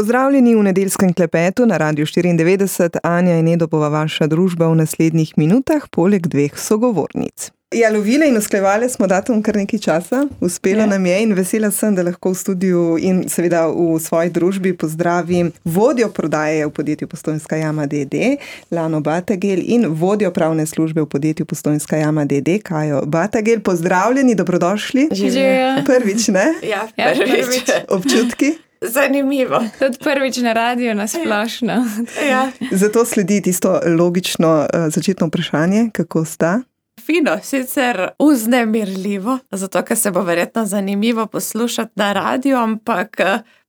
Pozdravljeni v nedeljskem klepetu na Radiu 94. Anja in Edo bova vaša družba v naslednjih minutah, poleg dveh sogovornic. Ja, lovile in usklajevale smo datum kar nekaj časa. Uspelo nam je in vesela sem, da lahko v studiu in seveda v svoji družbi pozdravim vodjo prodaje v podjetju Postojnska jama d.d. Lano Batagel in vodjo pravne službe v podjetju Postojnska jama d.d. Kajo Batagel. Pozdravljeni, dobrodošli. Živijo. Prvič, ne? Ja, prvič. Občutki? Zanimivo. Tudi prvič na radiju nasplošno. Ja. Zato sledi tisto logično začetno vprašanje, kako sta? Fino, sicer vznemirljivo, zato ker se bo verjetno zanimivo poslušati na radiju, ampak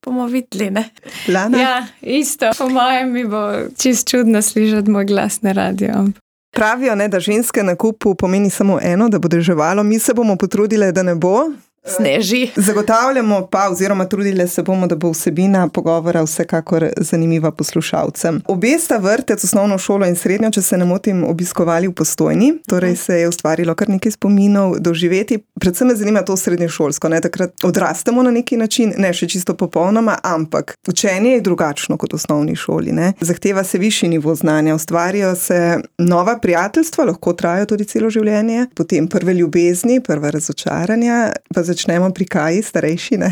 bomo videli, ne? Lana? Ja, isto. Po mojem mi bo čist čudno slišati moj glas na radiju. Pravijo, ne, da ženske na kupu pomeni samo eno, da bo deževalo. Mi se bomo potrudile, da ne bo. Sneži. Zagotavljamo pa, oziroma trudile se bomo, da bo vsebina pogovora vsekakor zanimiva poslušalcem. Obe sta vrtec, osnovno šolo in srednjo, če se ne motim, obiskovali v Postojni, torej se je ustvarilo kar nekaj spominov doživeti. Predvsem me zanima to srednješolsko, ne, takrat odrastemo na neki način, ne še čisto popolnoma, ampak učenje je drugačno kot v osnovni šoli, ne. Zahteva se višji nivo znanja, ustvarijo se nova prijateljstva, lahko trajajo tudi celo življenje, potem prve ljubezni, prva razočaranja, pa začnemo pri Kaji, starejši, ne?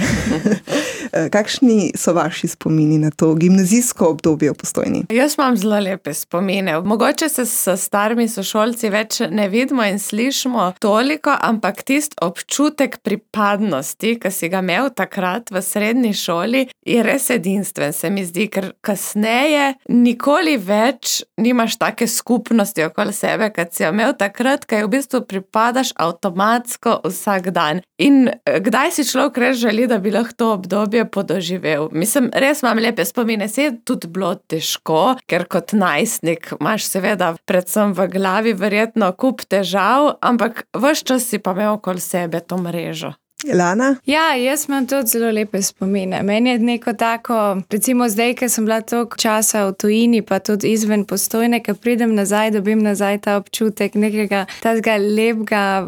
Kakšni so vaši spomini na to gimnazijsko obdobje v Postojni? Jaz imam zelo lepe spomine. Mogoče se s starimi sošolci več ne vidimo in slišimo toliko, ampak tist občutek pripadnosti, ki si ga imel takrat v srednji šoli, je res edinstven, se mi zdi, ker kasneje nikoli več nimaš take skupnosti okoli sebe, kot si jo imel takrat, kaj v bistvu pripadaš avtomatsko vsak dan. In kdaj si človek res želi, da bi lahko to obdobje podoživel? Mislim, res imam lepe spomine, se je tudi bilo težko, ker kot najstnik imaš seveda predvsem v glavi verjetno kup težav, ampak ves čas si pa imel okoli sebe to mrežo. Lana? Ja, jaz imam tudi zelo lepe spomine. Meni je neko tako, recimo zdaj, ker sem bila toliko časa v tujini, pa tudi izven Postojne, ker pridem nazaj, dobim nazaj ta občutek nekega tazga lepega,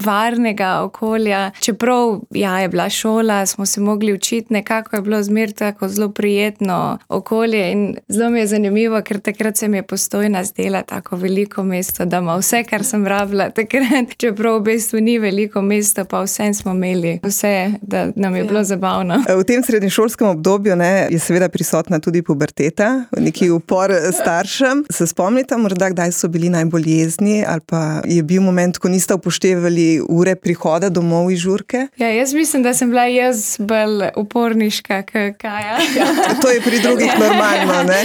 varnega okolja. Čeprav, ja, je bila šola, smo se mogli učiti, nekako je bilo zmer tako zelo prijetno okolje in zelo mi je zanimivo, ker takrat se mi je Postojna zdela tako veliko mesto, da ima vse, kar sem rabila takrat, čeprav v bistvu ni veliko mesto, pa vsem smo imeli vse, da nam je bilo zabavno. V tem srednješolskem obdobju, ne, je seveda prisotna tudi puberteta, neki upor staršem. Se spomnite morda, kdaj so bili najbolj jezni ali pa je bil moment, ko niste upoštevali ure prihoda domov iz žurke? Ja, jaz mislim, da sem bila jaz bolj uporniška kot Kaja. To je pri drugih normalno, ne?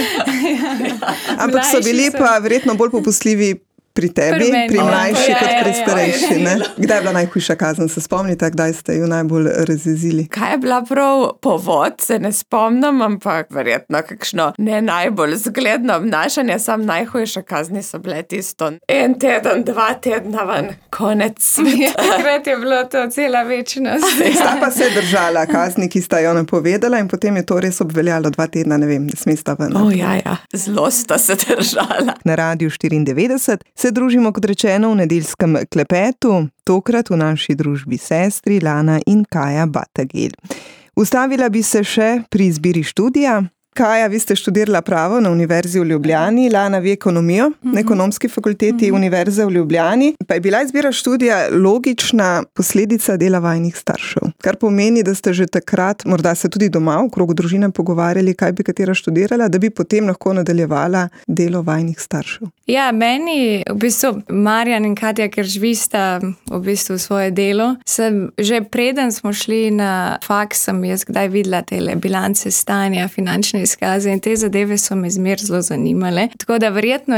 Ampak so bili pa verjetno bolj popustljivi pri tebi, pri mlajši kot pri starejši, ne? Kdaj je bila najhujša kazen? Se spomnite, kdaj ste jo najbolj razjezili? Kaj je bila prav povod, se ne spomnim, ampak verjetno kakšno ne najbolj zgledno obnašanje, sam najhujša kazni so bile tisto 1 teden, 2 tedna ven, konec sveta. Takrat je bilo to cela večnost. Sta pa se držala kazni, ki sta jo napovedala in potem je to res obveljalo 2 tedna, ne vem, ne smesta ven. Ja, zelo sta se držala. Na Radiu 94 se družimo, kot rečeno, v nedeljskem klepetu, tokrat v naši družbi sestri Lana in Kaja Batagel. Ustavila bi se še pri izbiri študija. Kaja, vi ste študirala pravo na Univerzi v Ljubljani, Lana vi ekonomijo na Ekonomski fakulteti Univerze v Ljubljani. Pa je bila izbira študija logična posledica dela vajinih staršev. Kar pomeni, da ste že takrat, morda se tudi doma v krogu družine pogovarjali, kaj bi katera študirala, da bi potem lahko nadaljevala delo vajinih staršev. Ja, meni v bistvu Marjan in Katja, ker živista v bistvu svoje delo, sem že preden smo šli na faks, sem jaz kdaj videla tele bilance stanja, finančne izkaze in te zadeve so me zmer zelo zanimale. Tako da verjetno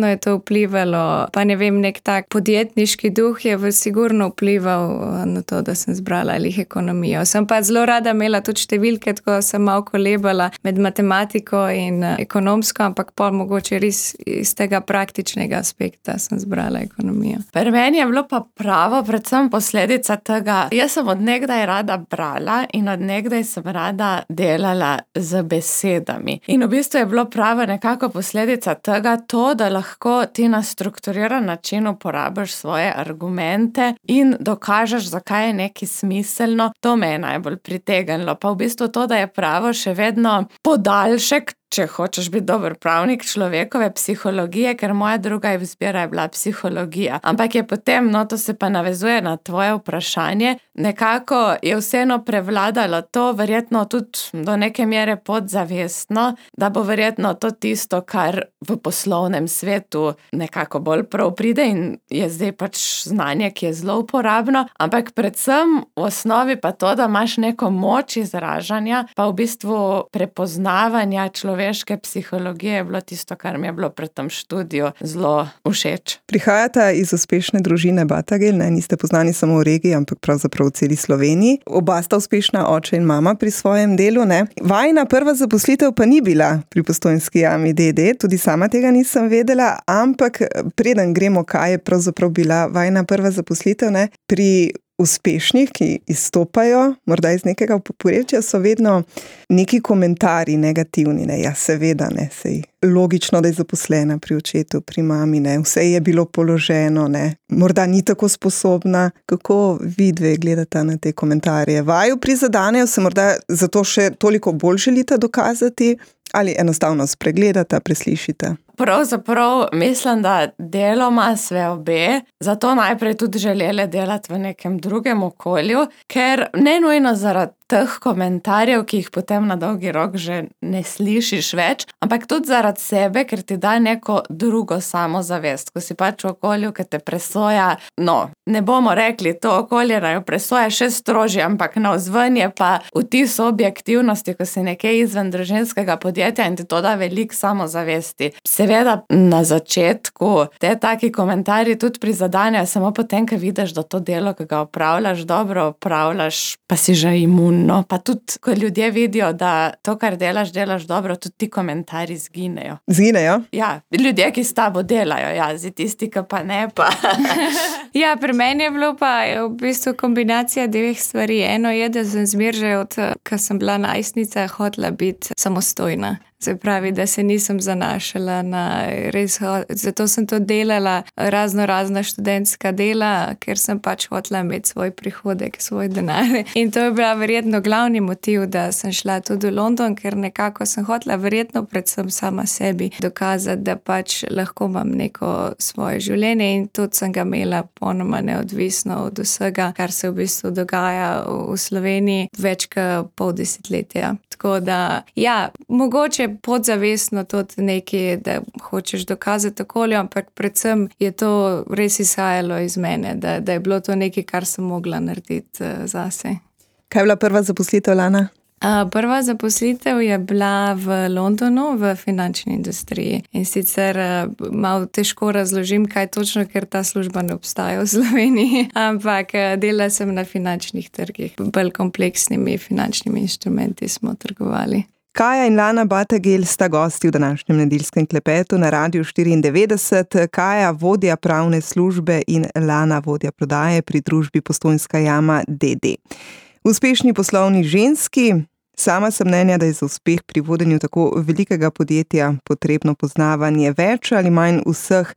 je to vplivalo, pa ne vem, nek tak podjetniški duh je sigurno vplival na to, da sem zbrala ekonomijo. Sem pa zelo rada imela tudi številke, tako sem malo kolebala med matematiko in ekonomsko, ampak pol mogoče res iz tega praktičnega aspekta sem zbrala ekonomijo. Pri meni je bilo pa pravo predvsem posledica tega. Jaz sem od nekdaj rada brala in od nekdaj sem rada delala z besedami. besedami. In v bistvu je bilo prava nekako posledica tega to, da lahko ti na strukturiran način uporabiš svoje argumente in dokažeš, zakaj je nekaj smiselno. To me je najbolj pritegnilo. Pa v bistvu to, da je pravo še vedno podaljšek, če hočeš biti dober pravnik, človekove psihologije, ker moja druga izbira je bila psihologija. Ampak je potem, to se pa navezuje na tvoje vprašanje, nekako je vseeno prevladalo to, verjetno tudi do neke mere podzavestno, da bo verjetno to tisto, kar v poslovnem svetu nekako bolj prav pride in je zdaj pač znanje, ki je zelo uporabno, ampak predvsem v osnovi pa to, da imaš neko moč izražanja, pa v bistvu prepoznavanja človeške psihologije je bilo tisto, kar mi je bilo pri tem študiju zelo všeč. Prihajata iz uspešne družine Batagel, niste poznani samo v regiji, ampak pravzaprav v celi Sloveniji. Oba sta uspešna, oče in mama pri svojem delu, Vajina prva zaposlitev pa ni bila pri Postojnski jami d.d., tudi sama tega nisem vedela, ampak preden gremo, kaj je pravzaprav bila vajina prva zaposlitev, pri uspešnih, ki izstopajo, morda iz nekega povprečja, so vedno neki komentarji negativni, ja seveda, sej logično, da je zaposlena pri očetu, pri mami, vse je bilo položeno, morda ni tako sposobna. Kako vi dve gledate na te komentarje? Vaju prizadanejo, se morda zato še toliko bolj želite dokazati ali enostavno spregledate, preslišite? Pravzaprav mislim, da deloma sve obe, zato najprej tudi želeli delati v nekem drugem okolju, ker ne nujno zaradi teh komentarjev, ki jih potem na dolgi rok že ne slišiš več, ampak tudi zaradi sebe, ker ti da neko drugo samozavest, ko si pač v okolju, ki te presoja, ne bomo rekli, to okolje naj presoja še strožje, ampak navzven je pa vtis objektivnosti, ko si nekaj izven družinskega podjetja in ti to da veliko samozavesti. Seveda na začetku te taki komentarji tudi prizadenejo, samo potem, ko vidiš, da to delo, ki ga opravljaš, dobro opravljaš, pa si že imun. Pa tudi, ko ljudje vidijo, da to, kar delaš dobro, tudi ti komentarji zginejo. Zginejo? Ja, ljudje, ki s tabo delajo, zdaj tisti, ki pa ne, pa... Ja, pri meni je bilo pa v bistvu kombinacija dveh stvari. Eno je, da sem že ko sem bila najstnica, hotela biti samostojna. Se pravi, da se nisem zanašala na res, zato sem to delala razna študentska dela, ker sem pač hotela imeti svoj prihodek, svoj denar. In to je bila verjetno glavni motiv, da sem šla tudi v London, ker nekako sem hotela verjetno predvsem sama sebi dokazati, da pač lahko imam neko svoje življenje in tudi sem ga imela ponoma neodvisno od vsega, kar se v bistvu dogaja v Sloveniji več kot pol desetletja. Tako da, mogoče podzavestno tudi nekaj, da hočeš dokazati okolju, ampak predvsem je to res izhajalo iz mene, da je bilo to nekaj, kar sem mogla narediti zase. Kaj je bila prva zaposlitev, Lana? Prva zaposlitev je bila v Londonu v finančni industriji in sicer malo težko razložim, kaj točno, ker ta služba ne obstaja v Sloveniji, ampak delala sem na finančnih trgih. Bolj kompleksnimi finančnimi inštrumenti smo trgovali. Kaja in Lana Batagel sta gosti v današnjem nedeljskem klepetu na Radiu 94. Kaja, vodja pravne službe, in Lana, vodja prodaje pri družbi Postojnska jama d.d. Uspešni poslovni ženski. Sama sem mnenja, da je za uspeh pri vodenju tako velikega podjetja potrebno poznavanje več ali manj vseh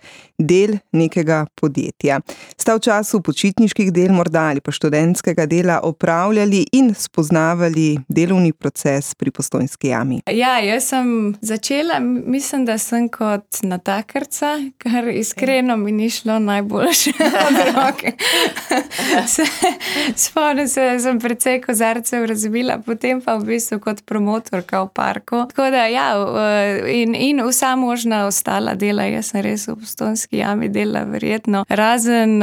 del nekega podjetja. Sta v času počitniških del morda ali pa študentskega dela opravljali in spoznavali delovni proces pri Postojnski jami? Ja, jaz sem začela, mislim, da sem kot natakarca, kar iskreno mi ni šlo najboljše od roke. Spomnim se, da sem precej kozarcev razbila, potem pa v bistvu kot promotorka v parku. Tako da in vsa možna ostala dela, jaz sem res v Postojnski jami delala verjetno. Razen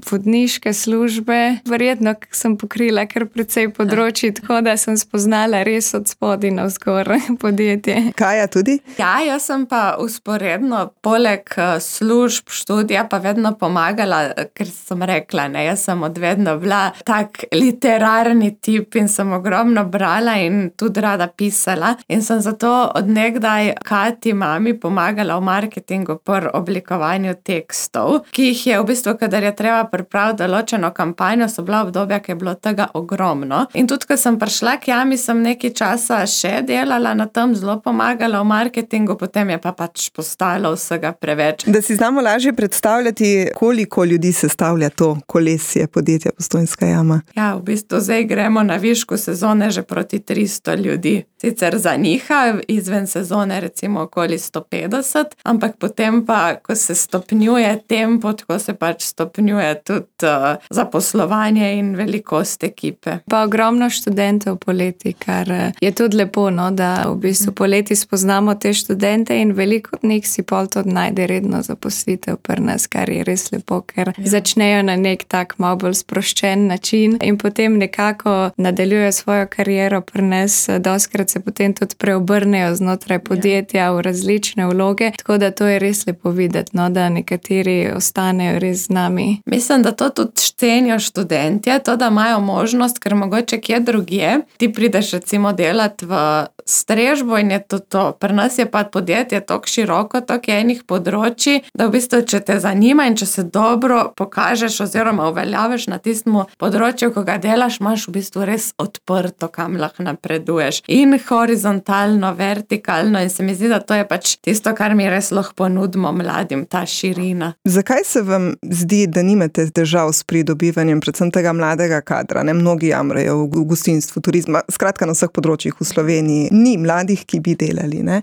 vodniške službe, verjetno sem pokrila kar precej področji, tako da sem spoznala res od spodaj navzgor podjetje. Kaja tudi? Ja, jaz sem pa usporedno poleg služb, študija pa vedno pomagala, ker sem rekla, jaz sem odvedno bila tak literarni tip in sem ogromno brala brala in tudi rada pisala in sem zato od nekdaj Kati mami pomagala v marketingu pri oblikovanju tekstov, ki jih je v bistvu, kadar je treba pripraviti določeno kampanjo, so bila obdobja, ki je bilo tega ogromno. In tudi, ko sem prišla k Jami, sem nekaj časa še delala na tem, zelo pomagala v marketingu, potem je pa pač postalo vsega preveč. Da si znamo lažje predstavljati, koliko ljudi sestavlja to kolesje podjetja Postojnska jama. Ja, v bistvu zdaj gremo na višku sezone že proti 300 ljudi. Sicer za njiha, izven sezone recimo okoli 150, ampak potem pa, ko se stopnjuje tempo, tako se pač stopnjuje tudi zaposlovanje in velikost ekipe. Pa ogromno študentov poleti, kar je tudi lepo, no, da v bistvu poleti spoznamo te študente in veliko od njih si pol tudi najde redno zaposlitev pri nas, kar je res lepo, ker začnejo na nek tak malo bolj sproščen način in potem nekako nadaljujejo svojo kariero pri nas, dostikrat se potem tudi preobrnejo znotraj podjetja v različne vloge, tako da to je res lepo videti, no, da nekateri ostanejo res z nami. Mislim, da to tudi cenijo študentje, to, da imajo možnost, ker mogoče kje drugje, ti prideš recimo delati v strežbo in je to. Pri nas je pa podjetje tako široko, tako je enih področji, da v bistvu, če te zanima in če se dobro pokažeš oziroma uveljaviš na tistem področju, ko ga delaš, imaš v bistvu res odprto, kam lahko napreduješ. In horizontalno, vertikalno in se mi zdi, da to je pač tisto, kar mi res lahko ponudimo mladim, ta širina. Zakaj se vam zdi, da nimate težav s pridobivanjem predvsem tega mladega kadra? Ne? Mnogi jamrajo v gostinstvu, turizma, skratka na vseh področjih v Sloveniji. Ni mladih, ki bi delali, ne?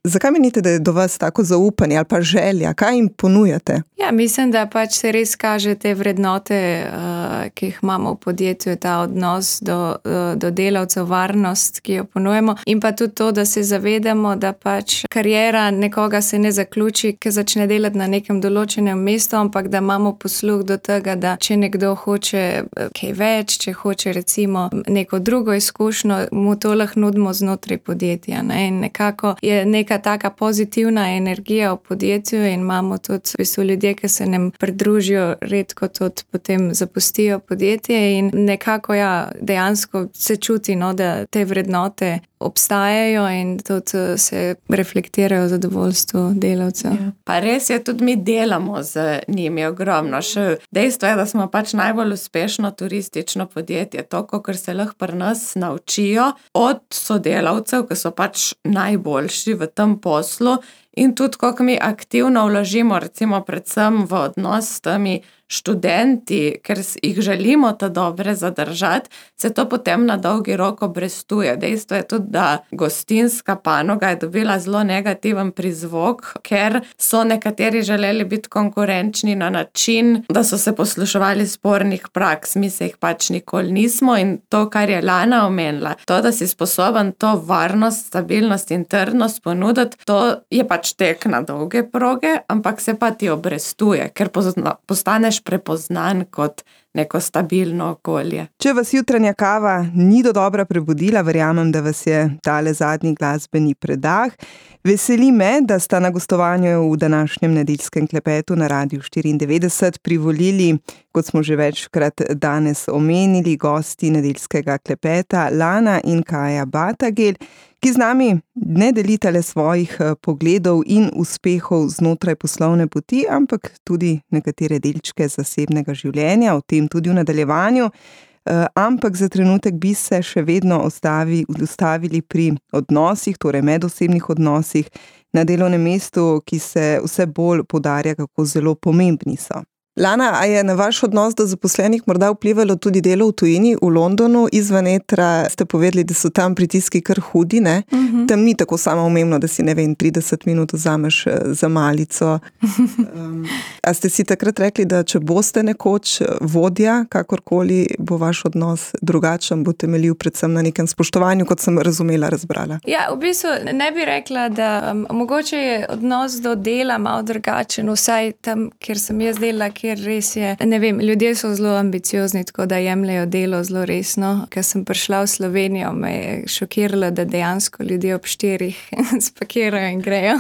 Zakaj menite, da je do vas tako zaupanje ali pa želja? Kaj jim ponujate? Ja, mislim, da pač se res kaže te vrednote, ki jih imamo v podjetju, ta odnos do delavcev, varnost, ki jo ponujemo in pa tudi to, da se zavedamo, da pač kariera nekoga se ne zaključi, ki začne delati na nekem določenem mestu, ampak da imamo posluh do tega, da če nekdo hoče kaj več, če hoče recimo neko drugo izkušnjo, mu to lahko nudimo znotraj podjetja, ne? In nekako je neka taka pozitivna energija v podjetju in imamo tudi v bistvu ljudje, ki se nam pridružijo, redko tudi potem zapustijo podjetje in nekako dejansko se čuti, no, da te vrednote obstajajo in tudi se reflektirajo v zadovoljstvu delavcev. Ja. Pa res je, tudi mi delamo z njimi ogromno. Še dejstvo je, da smo pač najbolj uspešno turistično podjetje, to, kar se lahko pri nas naučijo od sodelavcev, ki so pač najboljši v tem poslu in tudi, kako mi aktivno vložimo, recimo predvsem v odnos s temi študenti, ker jih želimo ta dobre zadržati, se to potem na dolgi rok obrestuje. Dejstvo je tudi, da gostinska panoga je dobila zelo negativen prizvok, ker so nekateri želeli biti konkurenčni na način, da so se posluševali spornih praks, mi se jih pač nikoli nismo in to, kar je Lana omenila, to, da si sposoben to varnost, stabilnost in trdnost ponuditi, to je pač tek na dolge proge, ampak se pa ti obrestuje, ker postaneš prepoznan kot neko stabilno okolje. Če vas jutranja kava ni dodobra prebudila, verjamem, da vas je tale zadnji glasbeni predah. Veseli me, da sta na gostovanju v današnjem nedeljskem klepetu na Radiu 94 privolili, kot smo že večkrat danes omenili, gosti nedeljskega klepeta Lana in Kaja Batagel, ki z nami ne delita le svojih pogledov in uspehov znotraj poslovne poti, ampak tudi nekatere delčke zasebnega življenja, o tem tudi v nadaljevanju. Ampak za trenutek bi se še vedno ustavili pri odnosih, torej medosebnih odnosih na delovnem mestu, ki se vse bolj poudarja, kako zelo pomembni so. Lana, a je na vaš odnos do zaposlenih morda vplivalo tudi delo v tujini, v Londonu, izven etra ste povedali, da so tam pritiski kar hudi, ne? Tam ni tako samoumevno, da si, 30 minut vzameš za malico. A ste si takrat rekli, da če boste nekoč vodja, kakorkoli bo vaš odnos drugačen, bo temeljil predvsem na nekem spoštovanju, kot sem razumela, razbrala? Ja, v bistvu ne bi rekla, da mogoče je odnos do dela malo drugačen, vsaj tam, kjer sem jaz delala, kjer kjer res je, ne vem, ljudje so zelo ambiciozni, tako da jemljajo delo zelo resno. Ker sem prišla v Slovenijo, me je šokiralo, da dejansko ljudje ob 4 spakirajo in grejo,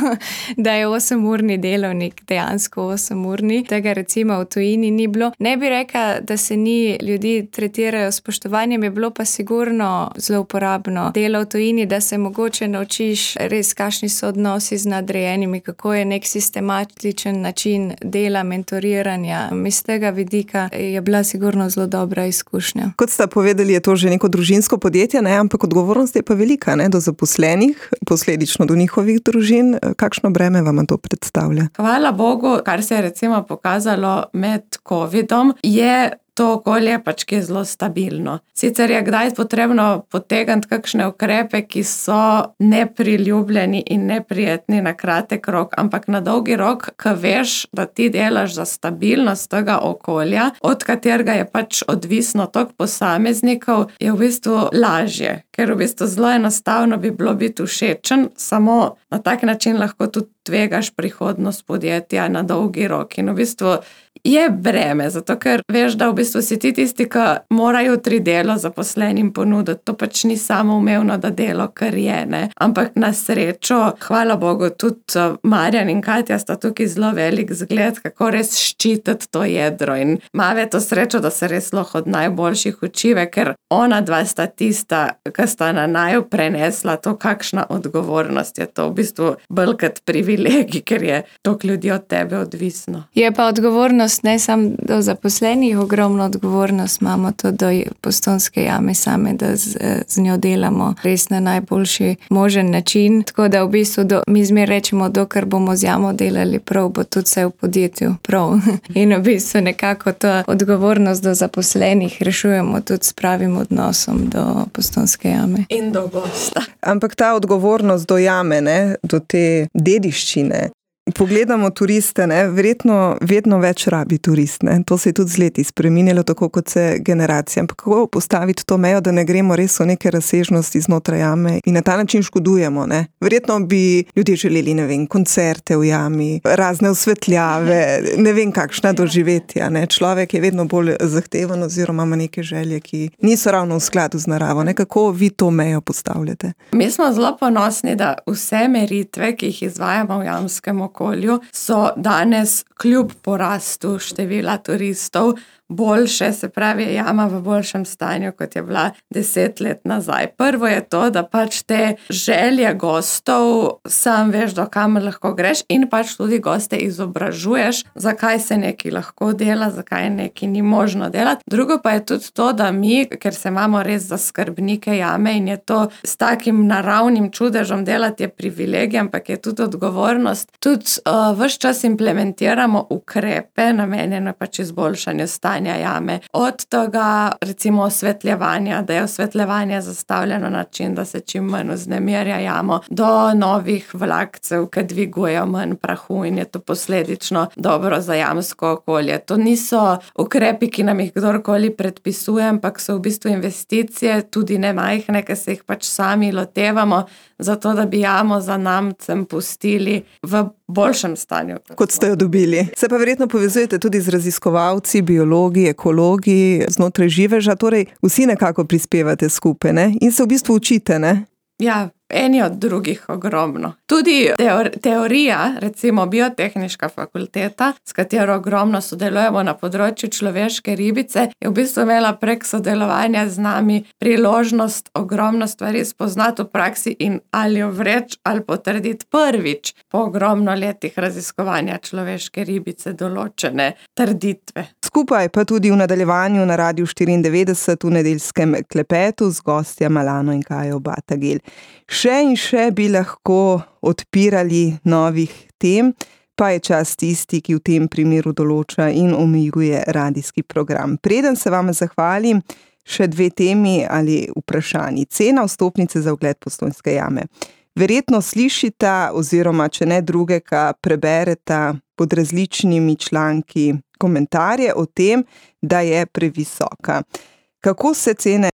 da je 8-urni delovnik dejansko 8-urni. Tega recimo v tujini ni bilo. Ne bi rekla, da se ni ljudi tretirajo s spoštovanjem, je bilo pa sigurno zelo uporabno delo v tujini, da se mogoče naučiš res, kakšni so odnosi z nadrejenimi, kako je nek sistematičen način dela, mentoriranja. Iz tega vidika je bila sigurno zelo dobra izkušnja. Kot sta povedali, je to že neko družinsko podjetje, ne? Ampak odgovornost je pa velika, ne? Do zaposlenih, posledično do njihovih družin. Kakšno breme vam to predstavlja? Hvala Bogu, kar se je recimo pokazalo med covidom, je to okolje pač, ki je zelo stabilno. Sicer je kdaj potrebno potegniti kakšne ukrepe, ki so nepriljubljeni in neprijetni na kratek rok, ampak na dolgi rok, ko veš, da ti delaš za stabilnost tega okolja, od katerega je pač odvisno toliko posameznikov, je v bistvu lažje. Ker v bistvu zelo enostavno bi bilo biti všečen, samo na tak način lahko tudi tvegaš prihodnost podjetja na dolgi rok. In v bistvu je breme, zato ker veš, da v bistvu si ti tisti, ki morajo 3 delo zaposlenim ponuditi. To pač ni samoumevno, da delo kar je, ne. Ampak na srečo, hvala Bogu, tudi Marjan in Katja sta tukaj zelo velik zgled, kako res ščititi to jedro. In Mave to srečo, da se res lahko od najboljših učive, ker ona dva sta tista, ki sta na naju prenesla to, kakšna odgovornost je to. V bistvu bolj kot privilegij, ker je toliko ljudi od tebe odvisno. Je pa odgovornost ne samo do zaposlenih, ogromno odgovornost imamo tudi do Postojnske jame same, da z njo delamo res na najboljši možen način. Tako da v bistvu mi zmer rečemo, dokler bomo z jamo delali prav, bo tudi vse v podjetju prav. In v bistvu nekako to odgovornost do zaposlenih rešujemo tudi s pravim odnosom do Postojnske jame. In do gosta. Ampak ta odgovornost do jame, ne, do te dediščine. Pogledamo turiste, ne, verjetno vedno več rabi turist, ne. To se je tudi z leti spreminjalo, tako kot se generacije. Ampak kako postaviti to mejo, da ne gremo res v neke razsežnosti znotraj jame in na ta način škodujemo, ne. Verjetno bi ljudje želeli, ne vem, koncerte v jami, razne osvetljave, ne vem kakšna doživetja, ne. Človek je vedno bolj zahteven oziroma ima neke želje, ki niso ravno v skladu z naravo, ne. Kako vi to mejo postavljate? Mi smo zelo ponosni, da vse meritve, ki jih izvajamo v jamskem okolju, so danes kljub porastu števila turistov boljše, se pravi, jama v boljšem stanju, kot je bila 10 let nazaj. Prvo je to, da pač te želje gostov, sam veš, do kamer lahko greš in pač tudi goste izobražuješ, zakaj se nekaj lahko dela, zakaj nekaj ni možno delati. Drugo pa je tudi to, da mi, ker se imamo res za skrbnike jame in je to s takim naravnim čudežem delati je privilegij, ampak je tudi odgovornost. Tudi ves čas implementiramo ukrepe, namenjene pač izboljšanju stanja jame. Od tega recimo osvetljevanja, da je osvetljevanje zastavljeno na način, da se čim manj vznemirja jamo, do novih vlakcev, ki dvigujejo manj prahu in je to posledično dobro za jamsko okolje. To niso ukrepi, ki nam jih kdorkoli predpisuje, ampak so v bistvu investicije, tudi ne majhne, ki se jih pač sami lotevamo, zato da bi jamo za namcem pustili v boljšem stanju. Kot ste jo dobili. Se pa verjetno povezujete tudi z raziskovalci, biologi, ekologi, znotraj živeža, torej vsi nekako prispevate skupaj, ne? In se v bistvu učite, ne? Ja, eni od drugih ogromno. Tudi teorija, recimo biotehniška fakulteta, s katero ogromno sodelujemo na področju človeške ribice, je v bistvu imela prek sodelovanja z nami priložnost ogromno stvari spoznati v praksi in ali jo vreči ali potrditi prvič po ogromno letih raziskovanja človeške ribice določene trditve. Skupaj pa tudi v nadaljevanju na Radiu 94 v nedeljskem klepetu z gostja Malano in Kajo Batagel. Še in še bi lahko odpirali novih tem, pa je čas tisti, ki v tem primeru določa in omejuje radijski program. Preden se vam zahvalim, še 2 temi ali vprašanji. Cena vstopnice za ogled Postojnske jame. Verjetno slišita oziroma, če ne drugega, prebereta pod različnimi članki komentarje o tem, da je previsoka. Kako se cene?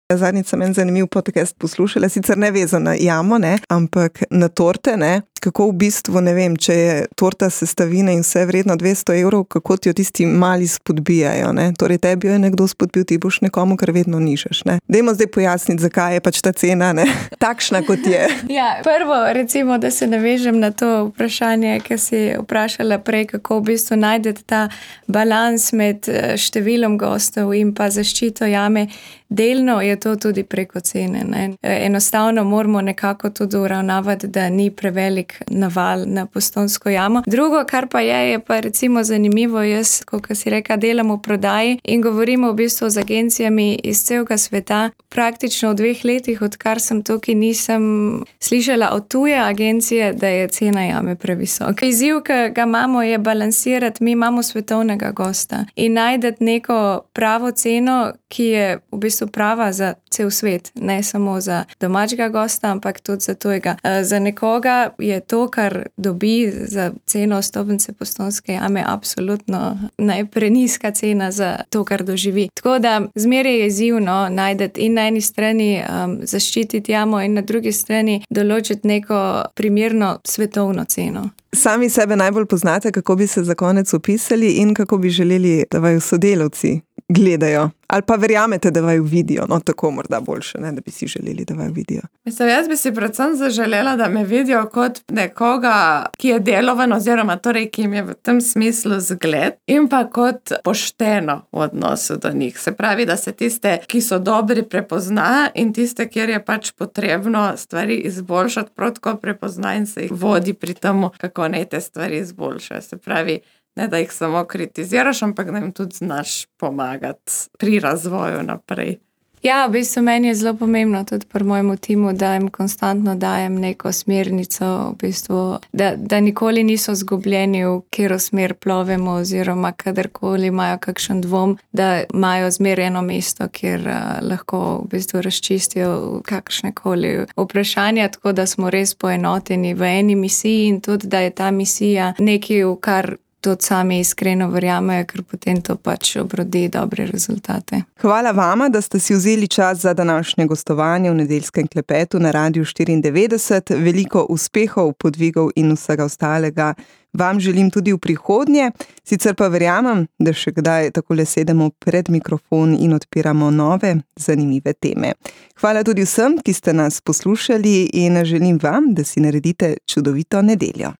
Zadnjič sem en zanimiv podcast poslušala, sicer ne vezan na jamo, ne, ampak na torte, ne. kako v bistvu, ne vem, če je torta sestavine in vse vredno 200 €, kako ti jo tisti mali spodbijajo, ne? Torej, tebi jo je nekdo spodbil, ti boš nekomu, kar vedno nižaš, ne? Dajmo zdaj pojasniti, zakaj je pač ta cena, ne, takšna, kot je. Ja, prvo, recimo, da se navežem na to vprašanje, ki si vprašala prej, kako v bistvu najdete ta balans med številom gostov in pa zaščito jame. Delno je to tudi preko cene, ne. Enostavno moramo nekako tudi uravnavati, da ni prevelik naval na Postojnsko jamo. Drugo, kar pa je pa recimo zanimivo, jaz, kot si rekla, delam v prodaji in govorimo v bistvu z agencijami iz celega sveta. Praktično v 2 letih, odkar sem tukaj, nisem slišala od tuje agencije, da je cena jame previsoka. Izziv, ki ga imamo, je balansirati, mi imamo svetovnega gosta in najti neko pravo ceno, ki je v bistvu prava za cel svet, ne samo za domačega gosta, ampak tudi za tujega. Za nekoga je to, kar dobi za ceno vstopnice Postojnske jame, absolutno najprenizka cena za to, kar doživi. Tako da zmeraj je izzivno najti in na eni strani zaščititi jamo in na drugi strani določiti neko primerno svetovno ceno. Sami sebe najbolj poznate, kako bi se za konec opisali in kako bi želeli, da vaju sodelavci gledajo. Ali pa verjamete, da vaju vidijo, no tako morda boljše, ne, da bi si želeli, da vaju vidijo. Mislim, jaz bi si predvsem zaželela, da me vidijo kot nekoga, ki je delovan oziroma torej, ki jim je v tem smislu zgled in pa kot pošteno v odnosu do njih. Se pravi, da se tiste, ki so dobri, prepozna in tiste, kjer je pač potrebno stvari izboljšati, prav tako prepozna in se jih vodi pri temu, kako naj te stvari izboljšajo. Se pravi, ne da jih samo kritiziraš, ampak da jim tudi znaš pomagati pri razvoju naprej. Ja, v bistvu meni je zelo pomembno tudi pri mojemu timu, da jim konstantno dajem neko smernico, v bistvu, da nikoli niso zgubljeni, v katero smer plovemo oziroma kadarkoli imajo kakšen dvom, da imajo zmeraj eno mesto, kjer lahko v bistvu razčistijo kakšnekoli vprašanja, tako da smo res poenoteni v eni misiji in tudi, da je ta misija nekaj, v kar tudi sami iskreno verjamejo, ker potem to pač obrodi dobre rezultate. Hvala vama, da ste si vzeli čas za današnje gostovanje v nedeljskem klepetu na Radiu 94. Veliko uspehov, podvigov in vsega ostalega vam želim tudi v prihodnje. Sicer pa verjamem, da še kdaj takole sedemo pred mikrofon in odpiramo nove, zanimive teme. Hvala tudi vsem, ki ste nas poslušali in želim vam, da si naredite čudovito nedeljo.